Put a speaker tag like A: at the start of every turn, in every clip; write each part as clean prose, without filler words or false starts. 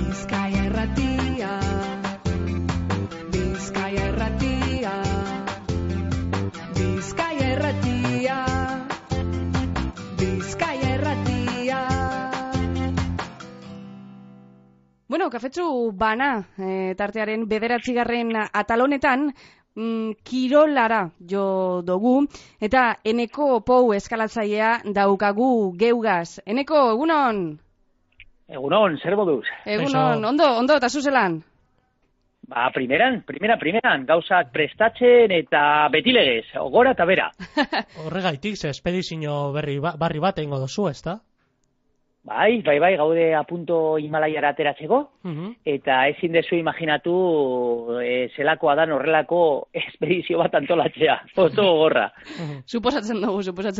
A: Bizkaia Irratia, Bizkaia Irratia, Bizkaia Irratia, Bizkaia Irratia. Bueno, kafetsu bana, tartearen 9. atal honetan, kirolara jo dugu, eta Eneko Pou eskalatzailea daukagu geugaz. Eneko, egunon?
B: Egunon, zer moduz?
A: Egunon, ondo, eta zuzelan?
B: Ba, primeran, gauzak prestatzen eta betilegez, gora eta bera.
C: Horregaitik, ze espedizio barri bat egingo duzu, ezta?
B: Bai, gaude apunto Himalaiara ateratzeko, eta ezin dezu imaginatu zelakoa dan horrelako espedizio bat antolatzea, oso gogorra.
A: Suposatzen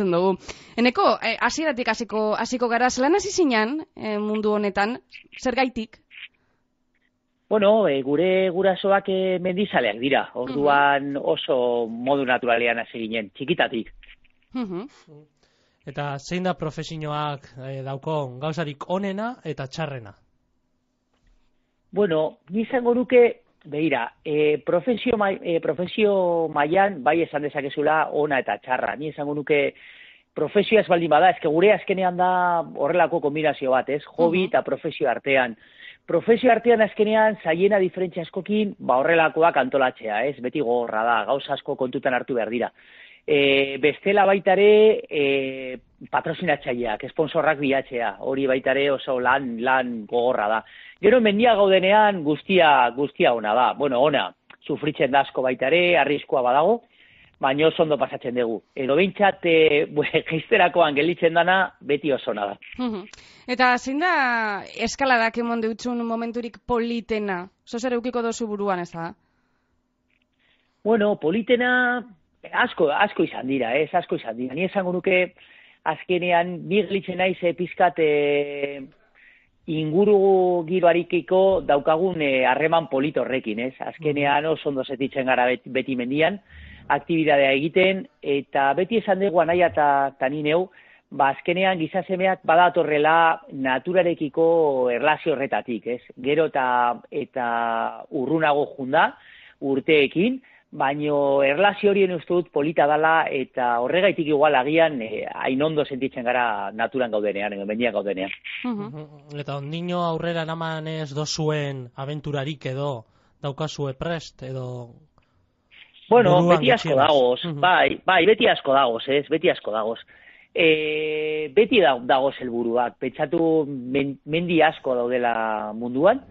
A: dugu. Eneko, hasieratik hasiko gara, zelan hasi zinen mundu honetan, zergaitik?
B: Bueno, gure gurasoak mendizaleak dira, orduan oso modu naturalean hasi ginen, txikitatik.
C: Eta zein da profesioak daukon gauzarik onena eta txarrena?
B: Bueno, ni izango nuke, begira, profesio mailan bai esan dezakezula ona eta txarra. Ni izango nuke profesioa ez baldin bada, eske gure azkenean da horrelako kombinazio bat, ez? Hobi eta profesio artean. Profesio artean azkenean zaiena diferentzia askokin, horrelakoak antolatzea, ez? Beti gogorra da, gauza asko kontutan hartu behar dira. Bestela baitare patrozinatzaileak, esponsorrak bilatzea, hori baitare oso lan gogorra da. Gero mendia gaudenean guztia ona da. Bueno, ona, sufritzen da asko baitare, arriskua badago, baina oso ondo pasatzen dugu. Edo behintzat, geizterakoan gelitzen dana, beti oso ona da.
A: Eta zein da eskaladak emon deutzun momenturik politena? Zer eukiko dozu buruan, ez da?
B: Bueno, politena asko izan dira, asko izan dira. Ni esango nuke azkenean ni gelitzen naiz pizkat inguru giroarikiko daukagun harreman polit horrekin, ez? Azkenean oso ondo sentitzen gara beti mendian, aktibitatea egiten, eta beti esan dugu anaia eta ni neu, azkenean gizasemeak badatorrela naturarekiko erlazio horretatik, ez? Gero eta urrunago junda urteekin, baino erlazio horien uste dut polita dala eta horregaitik igual agian hain ondo sentitzen gara naturan gaudenean, mendian gaudenean.
C: Eta ondino aurrera naman ez dozuen aventurarik edo daukazue prest edo...
B: Bueno, beti asko dagoz, bai, beti asko dagoz, ez, beti asko dagoz. Beti dagoz helburuak, pentsatu mendi asko daudela munduan,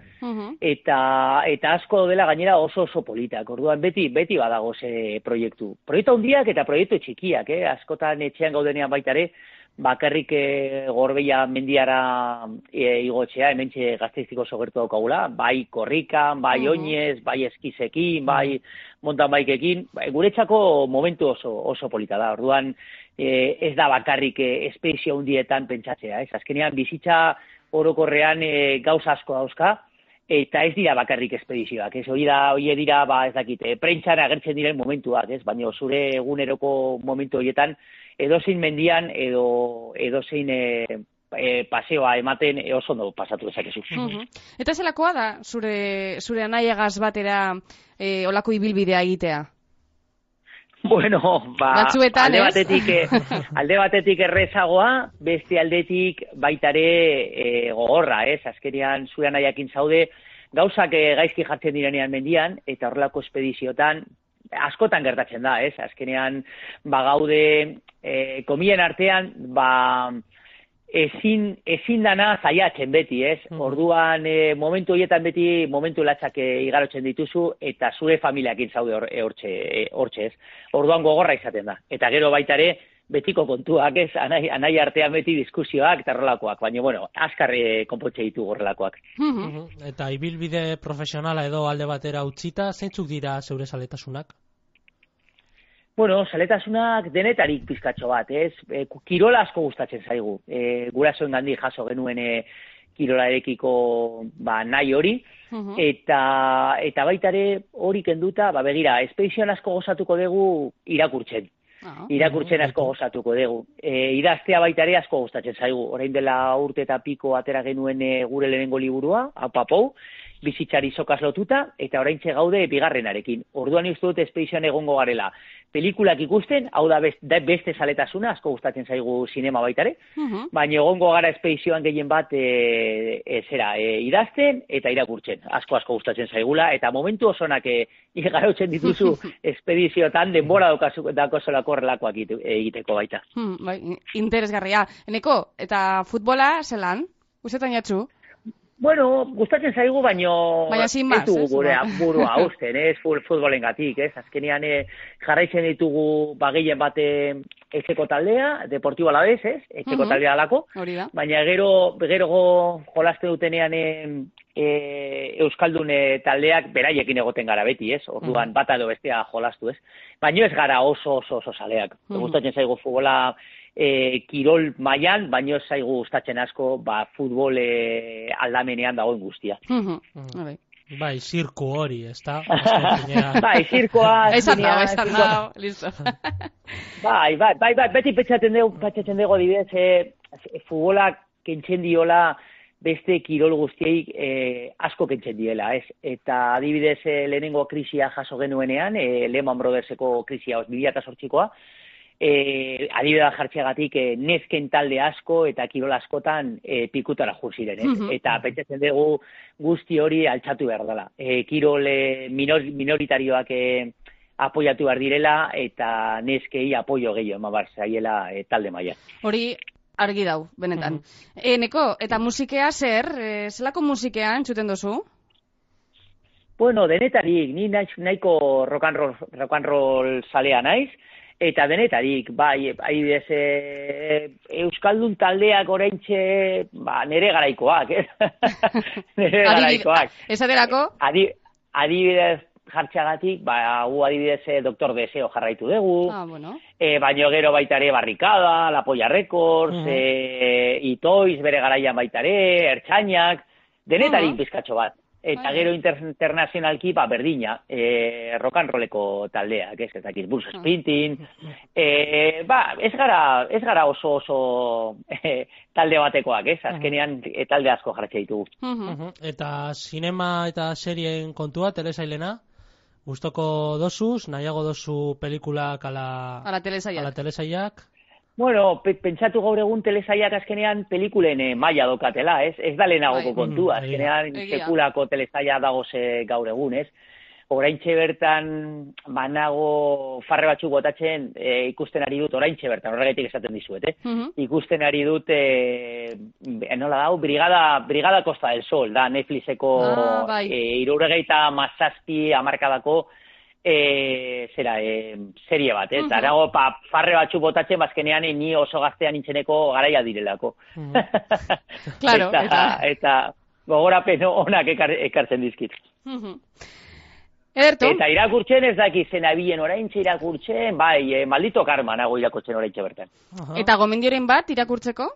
B: eta asko daudela gainera oso politak. Orduan beti badagoz proiektu. Proiektu handiak eta proiektu txikiak, askotan etxean gaudenean baitare, bakarrik Gorbeia mendiara igotzea, hementxe Gasteiztiko oso gertu daukagula, bai korrikan, bai oinez, bai eskizekin, bai mountain bikeekin, guretzako momentu oso polita da. Orduan ez da bakarrik espezio hundietan pentsatzea, ez? Azkenean bizitza orokorrean gauza asko dauzka, eta ez dira bakarrik espedizioak, ez? Hori dira, ez dakit, prentxan agertzen diren momentuak, ez? Baina zure eguneroko momentu horietan, edozein mendian edozein paseoa ematen oso ondo pasatu dezakezu.
A: Eta zelakoa da zure anaiagaz batera olako ibilbidea egitea?
B: Bueno,
A: batzuetan,
B: alde batetik errezagoa, beste aldetik baitare gogorra, ez? Azkenean zure anaiakin zaude, gauzak gaizki jartzen direnean mendian, eta horrelako espediziotan, askotan gertatzen da, ez? Azkenean, gaude, komien artean, ezin dana zaiatzen beti, ez? Orduan, momentu horietan beti, momentu latzak igarotzen dituzu, eta zure familiakin zaude hortxe, ez? Orduan gogorra izaten da. Eta gero baitare, betiko kontuak, ez? Anai artean beti diskusioak eta horrelakoak, baina, bueno, azkar konpontxe ditu horrelakoak.
C: Eta ibilbide profesionala edo alde batera utzita, zeintzuk dira zeure zaletasunak?
B: Bueno, zaletasunak denetarik pizkatxo bat, ez? Kirola asko gustatzen zaigu. Gurasoen gandik jaso genuen kirolarekiko nahi hori, eta baitare hori kenduta, begira, espedizioan asko gozatuko dugu irakurtzen. irakurtzen asko gozatuko dugu. Idaztea baita ere asko gustatzen zaigu. Orain dela urte eta piko atera genuen gure lehenengo liburua, Apapou, bizitzari sokaz lotuta, eta oraintxe gaude bigarrenarekin. Orduan uste dut espedizioan egongo garela. Pelikulak ikusten, hau da beste zaletasuna, asko gustatzen zaigu sinema baitare, baina egongo gara espedizioan gehien bat idazten eta irakurtzen. Asko gustatzen zaigula, eta momentu osonak igarotzen dituzu espedizioetan denbora dako solako horrelakoak egiteko baita.
A: Interesgarria. Eneko, eta futbola zelan? Ustetan jatzu?
B: Bueno, gustatzen zaigu, baino
A: ez dugu
B: gure burua hausten, futbolengatik, ez? Azkenean jarraitzen ditugu gehien bat etxeko taldea, Deportibo Alavés, ez? Etxeko taldea alako, baina gero jolasten dutenean Euskaldun taldeak beraiekin egoten gara beti, ez? Orduan bata edo bestea jolastu, ez? Baina ez gara oso zaleak. Gustatzen zaigu futbola kirol mailan, baino ez zaigu gustatzen asko futbol aldamenean dagoen guztia.
C: Bai, zirku hori, ez da?
B: Bai, zirkoa...
A: Esan da, listo.
B: Bai, beti petxatzen dugu adibidez, futbolak kentzen diola beste kirol guztiei asko kentzen diela, ez? Eta adibidez lehenengo krisia jaso genuenean, Lehman Brotherseko krisia 2008koa, adibidea jartxeagatik nezken talde asko eta kirol askotan pikutara jo ziren, eta pentsatzen dugu guzti hori altxatu behar dela. Kirol minoritarioak apoiatu behar direla eta neskei apoio gehiago eman behar zaiela talde maila.
A: Hori argi dau, benetan. Neko, eta musikea zer? Zelako musikea entzuten dozu?
B: Bueno, denetarik, ni nahiko rock and roll salea naiz, eta denetarik, bai, adibidez, Euskaldun taldeak oraintxe, nere garaikoak, nere garaikoak.
A: Esaterako?
B: Adibidez jartxagatik, gu adibidez Doktor Deseo jarraitu dugu, baino gero baitare Barrikada, La Polla Records, Itoiz bere garaian baitare, Ertzainak, denetarik bizkatxo bat. Eta gero internazionalki, berdina, rock and rolleko taldeak, ez dakit, Bruce Springsteen, ez gara oso talde batekoak, ez, azkenean talde asko jarratxe ditugu.
C: Eta sinema eta serien kontua, telesailena, gustoko dosuz, nahiago dozu pelikulak ala telesailak?
B: Bueno, pentsatu gaur egun telesaiak azkenean pelikulen maila dokatela, ez? Ez da lehenagoko kontua, azkenean sekulako telesaia dagoze gaur egun, ez? Oraintxe bertan banago farre batzuk botatzen ikusten ari dut, oraintxe bertan, horregatik esaten dizuet, ikusten ari dut, nola dau, Brigada Costa del Sol, da Netflixeko 77 hamarkadako serie bat, ez? Arago, farre batzu botatzen, bazkenean ni oso gaztean nintzeneko garaia direlako.
A: Claro,
B: eta gogorapen onak ekartzen dizkit.
A: Ederto.
B: Eta irakurtzen ez daki zenabilen oraintxe irakurtzen, bai, Maldito Karma nago irakurtzen oraintxe bertan.
A: Eta gomendioren bat irakurtzeko?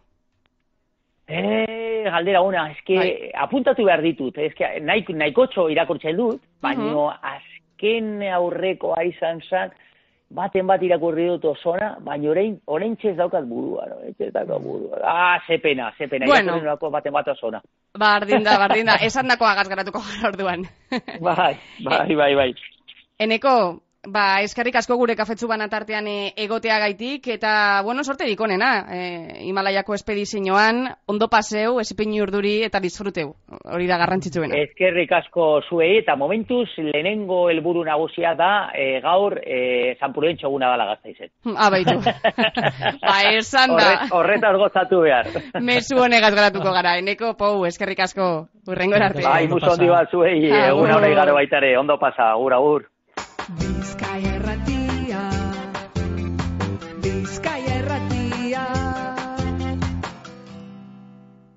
B: Galdera ona, eske apuntatu behar ditut, eske nahikotxo irakurtzen dut, baino azken aurrekoa izan zan, baten bat irakurri dut osona, baina oraintxe ez daukat burua, no? Ez daukat burua. Ze pena,
A: bueno.
B: Irakurri dut baten bat osona.
A: Bardinda, esan dako agazgaratuko gara orduan.
B: Bai.
A: Eneko, eskerrik asko gure kafetzu banatartean egotea gaitik, eta, bueno, sorterik onena, Himalaiako espedizioan, ondo paseu, esipin urduri eta disfruteu, hori da garrantzitsuena.
B: Eskerrik asko zuei, eta momentuz, lehenengo helburu nagusia da, gaur, San Prudentzio eguna dala Gasteizen.
A: Baitu. Esan da.
B: Horretaz gozatu behar.
A: Mezu honegaz garatuko gara, Eneko, Pou, eskerrik asko, urrengo arte.
B: Muso handi bat zuei, eguna hori garo baitare, ondo pasa, agur.
D: Bizkaia Erratia, Bizkaia Erratia.